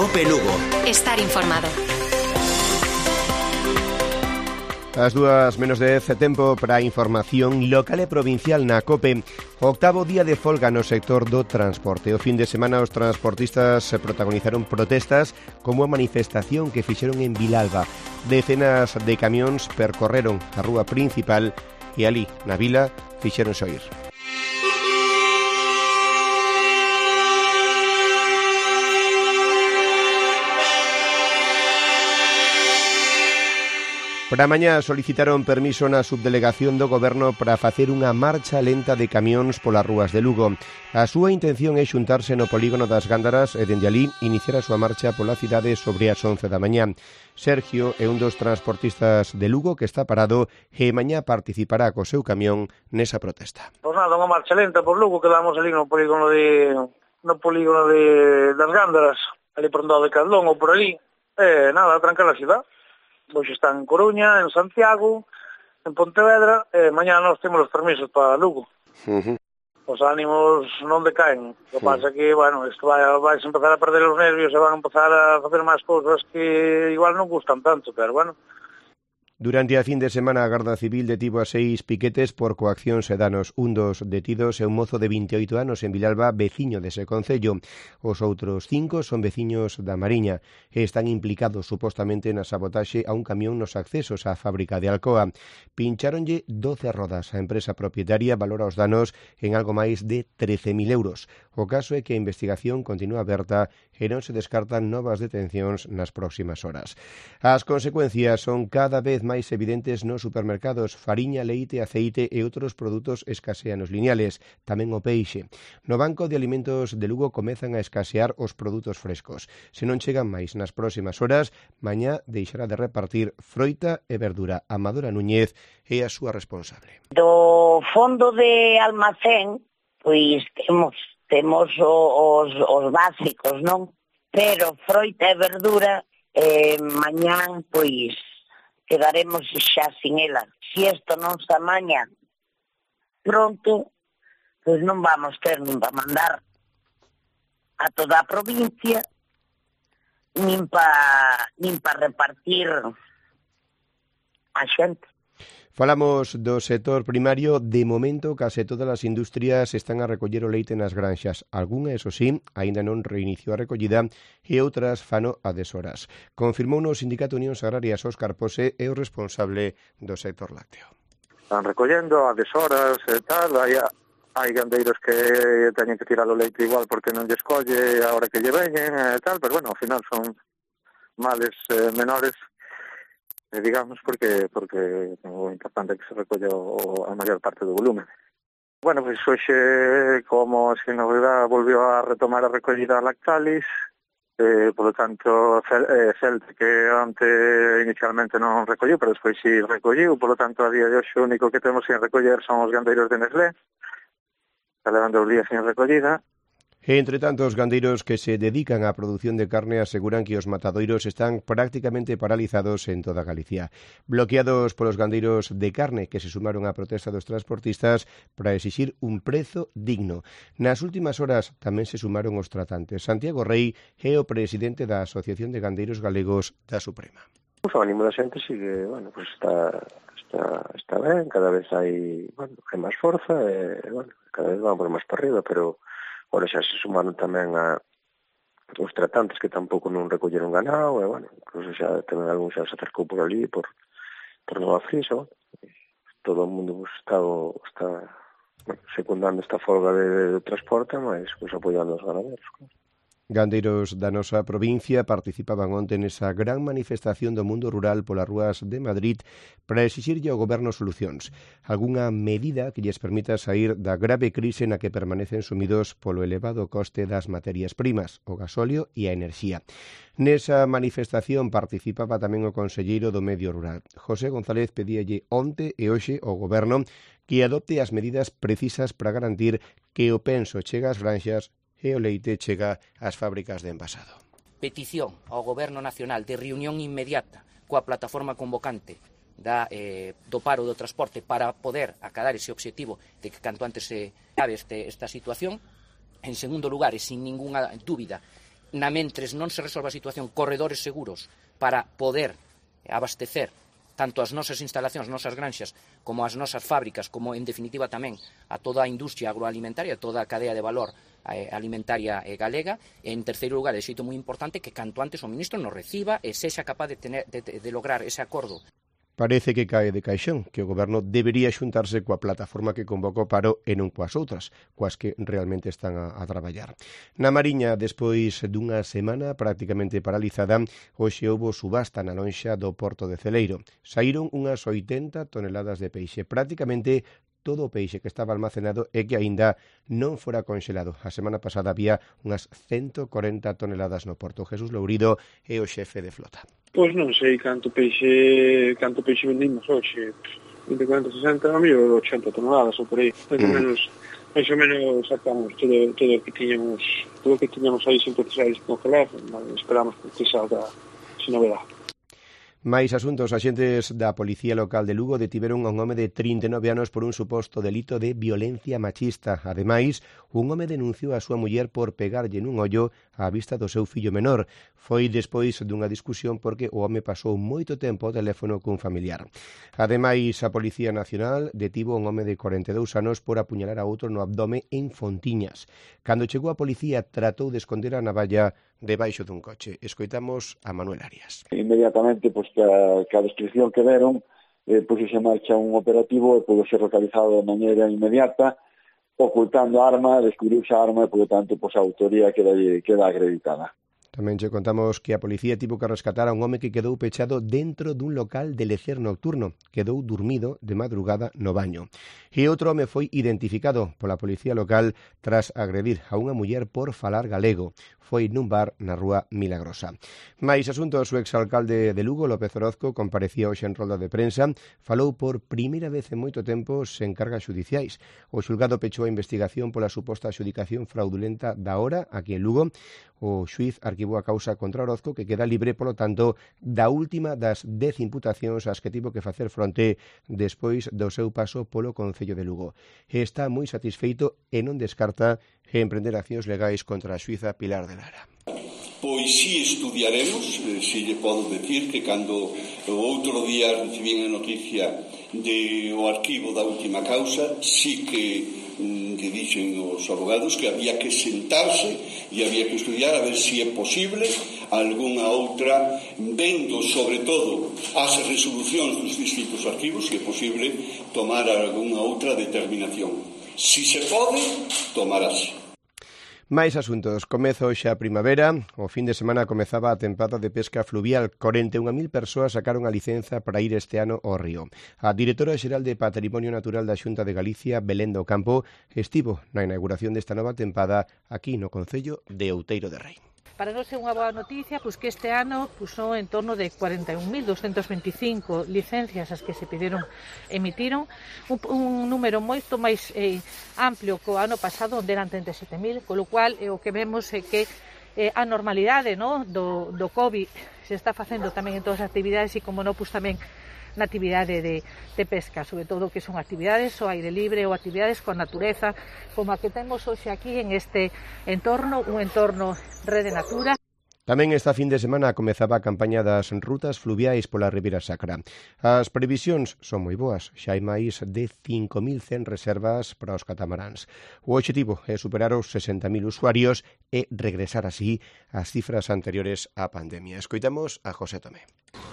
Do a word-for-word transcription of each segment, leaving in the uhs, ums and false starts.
Cope Lugo. Estar informado. As dúas menos dez, tempo para a información local e provincial na Cope. O octavo día de folga no sector do transporte. O fin de semana os transportistas protagonizaron protestas como a manifestación que fixeron en Vilalba. Decenas de camións percorreron a rúa principal e ali, na vila, fixeronse oír. Para mañá solicitaron permiso na subdelegación do Goberno para facer unha marcha lenta de camións polas rúas de Lugo. A súa intención é xuntarse no polígono das Gándaras e dende alí iniciar a súa marcha pola cidade sobre as once da mañá. Sergio é un dos transportistas de Lugo que está parado e mañá participará co seu camión nesa protesta. Pois nada, unha marcha lenta por Lugo, quedamos ali no polígono de no polígono de das Gándaras, ali por onde de Caldón ou por ali. Eh, nada, trancar a cidade. Hoxe está en Coruña, en Santiago, en Pontevedra, e mañá nós temos os permisos para Lugo. Uh-huh. Os ánimos non decaen. O que uh-huh. pasa que, bueno, isto vai, vai empezar a perder os nervios e van a empezar a facer máis cousas que igual non gustan tanto, pero bueno. Durante a fin de semana a Garda Civil detivo a seis piquetes por coaccións e danos. Un dos detidos é un mozo de vinte e oito anos en Vilalba, veciño dese concello. Os outros cinco son veciños da Mariña e están implicados supostamente na sabotaxe a un camión nos accesos á fábrica de Alcoa. Pincháronlle doce rodas. A empresa propietaria valora os danos en algo máis de trece mil euros. O caso é que a investigación continúa aberta e non se descartan novas detencións nas próximas horas. As consecuencias son cada vez máis evidentes nos supermercados. Fariña, leite, aceite e outros produtos escasean os lineales, tamén o peixe. No Banco de Alimentos de Lugo comezan a escasear os produtos frescos. Se non chegan máis nas próximas horas, mañá deixará de repartir froita e verdura. Amadora Núñez é a súa responsable. Do fondo de almacén, pois temos temos os, os básicos, non? Pero froita e verdura, eh, mañán, pois, quedaremos xa sin ela. Se isto non se amaña pronto, pois non vamos ter nin para mandar a toda a provincia, nin para nin para repartir a xente. Falamos do sector primario. De momento, case todas as industrias están a recoller o leite nas granxas. Algúnha, eso sí, aínda non reiniciou a recollida e outras fano a deshoras. Confirmou no Sindicato Unións Agrarias Óscar Pose e o responsable do sector lácteo. Están recollendo a deshoras e tal, hai, hai gandeiros que teñen que tirar o leite igual porque non lle escolle a hora que lle veñen e tal, pero bueno, ao final son males eh, menores, digamos, porque porque o importante é que se recolle o, a maior parte do volumen. Bueno, pois pues, hoxe, como se na verdade volvió a retomar a recollida Lactalis, eh, por lo tanto, eh, Celte, que antes inicialmente non recolliu, pero despois si recolliu, por lo tanto, a día de hoxe o único que temos sin recoller son os gandeiros de Nestlé, está levando os días sin recollida. E, entre tanto, os gandeiros que se dedican á produción de carne aseguran que os matadoiros están prácticamente paralizados en toda Galicia. Bloqueados polos gandeiros de carne que se sumaron á protesta dos transportistas para exixir un prezo digno. Nas últimas horas tamén se sumaron os tratantes. Santiago Rei é o presidente da Asociación de Gandeiros Galegos da Suprema. O ánimo da xente sigue, bueno, pues está, está, está ben, cada vez hai, bueno, hai máis forza, e, bueno, cada vez vamos máis para arriba, pero ora xa se sumaron tamén a os tratantes que tampouco non recolleron ganado, e, bueno, incluso xa tamén algún xa se acercou por ali, por, por Nova Frisa, todo o mundo pues, está, está bueno, secundando esta folga de, de transporte, mas pues, apoiando os ganaderos, claro. Gandeiros da nosa provincia participaban onte nesa gran manifestación do mundo rural polas rúas de Madrid para exixirlle ao goberno solucións, algunha medida que lles permita sair da grave crise na que permanecen sumidos polo elevado coste das materias primas, o gasóleo e a enerxía. Nesa manifestación participaba tamén o conselleiro do Medio Rural. José González pedíalle onte e hoxe ao goberno que adopte as medidas precisas para garantir que o penso chega ás granxas e o leite chega ás fábricas de envasado. Petición ao Goberno Nacional de reunión inmediata coa plataforma convocante da, eh, do paro do transporte para poder acadar ese objetivo de que canto antes se acabe este, esta situación. En segundo lugar, e sin ninguna dúbida, na mentres non se resolva a situación, corredores seguros para poder abastecer tanto as nosas instalacións, nosas granxas, como as nosas fábricas, como en definitiva tamén a toda a industria agroalimentaria, toda a cadea de valor eh, alimentaria eh, galega. E, en terceiro lugar, é xeito moi importante que canto antes o ministro nos reciba e sexa capaz de, tener, de, de lograr ese acordo. Parece que cae de caixón que o Goberno debería xuntarse coa plataforma que convocou o paro e non coas outras, coas que realmente están a, a traballar. Na Mariña, despois dunha semana prácticamente paralizada, hoxe houbo subasta na lonxa do Porto de Celeiro. Saíron unhas oitenta toneladas de peixe, prácticamente todo o peixe que estaba almacenado e que aínda non fora conxelado. A semana pasada había unhas ciento corenta toneladas no Porto. Jesús Lourido é o xefe de flota. Pois non sei canto peixe canto peixe vendimos hoxe, vinte, cuarenta, sesenta, a mellor ochenta toneladas ou por aí. Mais ou menos, mais ou menos sacamos todo todo o que tiñamos, todo o que tiñamos aí sin precisar de congelar, esperamos que salga sin novedade. Máis asuntos, axentes da Policía Local de Lugo detiveron a un home de trinta e nove anos por un suposto delito de violencia machista. Ademais, un home denunciou a súa muller por pegarlle nun ollo á vista do seu fillo menor. Foi despois dunha discusión porque o home pasou moito tempo ao teléfono cun familiar. Ademais, a Policía Nacional detivo un home de corenta e dous anos por apuñalar a outro no abdome en Fontiñas. Cando chegou a policía, tratou de esconder a navalla debaixo dun coche. Escoitamos a Manuel Arias. Inmediatamente, pois, que a, que a descripción que deron, eh, pois se marcha un operativo e pode ser localizado de maneira inmediata, ocultando a arma, descubriuse a arma e, por tanto, pois a autoría queda, queda acreditada. Tamén che contamos que a policía tivo que rescatar a un home que quedou pechado dentro dun local de lecer nocturno. Quedou dormido de madrugada no baño. E outro home foi identificado pola policía local tras agredir a unha muller por falar galego. Foi nun bar na rúa Milagrosa. Mais asuntos, o exalcalde de Lugo, López Orozco, comparecía hoxe en rolda de prensa, falou por primeira vez en moito tempo sen cargas xudiciais. O xulgado pechou a investigación pola suposta adxudicación fraudulenta da hora aquí en Lugo. O xuiz arquivou a causa contra Orozco, que queda libre, polo tanto, da última das dez imputacións ás que tivo que facer fronte despois do seu paso polo Concello de Lugo. E está moi satisfeito e non descarta emprender accións legais contra a xuíza Pilar de Lara. Pois si estudiaremos, si lle podo decir que cando o outro día recibín a noticia de o arquivo da última causa, si que que dixen os abogados que había que sentarse e había que estudiar a ver se é posible algunha outra, vendo sobre todo as resolucións dos distintos arquivos, se é posible tomar algunha outra determinación. Si se pode, tomarase. Mais asuntos. Comeza hoxe a primavera. O fin de semana comezaba a tempada de pesca fluvial. corenta e unha mil persoas sacaron a licenza para ir este ano ao río. A directora xeral de Patrimonio Natural da Xunta de Galicia, Belén do Campo, estivo na inauguración desta nova tempada aquí no concello de Outeiro de Rei. Para nós é unha boa noticia, pois que este ano pois, son en torno de cuarenta e un mil doscientas veinticinco licencias as que se pediron, emitiron, un, un número moito máis eh, amplio que o ano pasado, onde eran trinta e sete mil, con lo cual eh, o que vemos é que eh, a normalidade no, do, do COVID se está facendo tamén en todas as actividades e, como non, pois tamén na actividade de, de pesca, sobre todo que son actividades ao aire libre ou actividades coa natureza, como a que temos hoxe aquí en este entorno, un entorno Rede Natura. Tamén esta fin de semana comezaba a campaña das rutas fluviais pola Ribeira Sacra. As previsións son moi boas, xa hai máis de cinco mil cen reservas para os catamaráns. O obxectivo é superar os sesenta mil usuarios e regresar así ás cifras anteriores á pandemia. Escoitamos a José Tomé.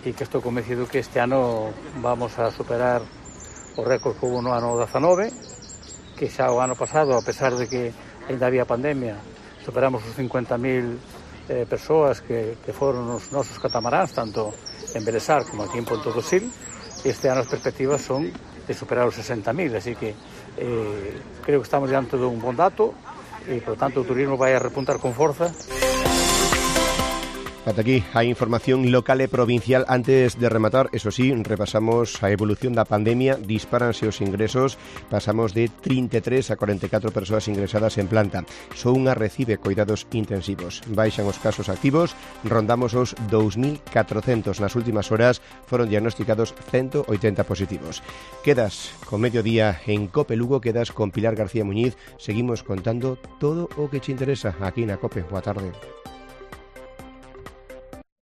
E que estou convencido que este ano vamos a superar o récord que hubo no ano dezanove, que xa o ano pasado, a pesar de que ainda había pandemia, superamos os cincuenta mil Eh, persoas que, que foron os nosos catamaráns, tanto en Belesar como aquí en Ponto do Sil. Este ano as perspectivas son de superar os sesenta mil, así que eh, creo que estamos diante dun bon dato e, por tanto, o turismo vai a repuntar con forza. Ata aquí a información local e provincial. Antes de rematar, eso sí, repasamos a evolución da pandemia. Dispáranse os ingresos, pasamos de trinta e tres a cuarenta e catro persoas ingresadas en planta. Só unha recibe cuidados intensivos. Baixan os casos activos, rondamos os dous mil catrocentos. Nas últimas horas foron diagnosticados ciento oitenta positivos. Quedas con Mediodía en Cope Lugo, quedas con Pilar García Muñiz. Seguimos contando todo o que te interesa aquí na Cope. Boa tarde.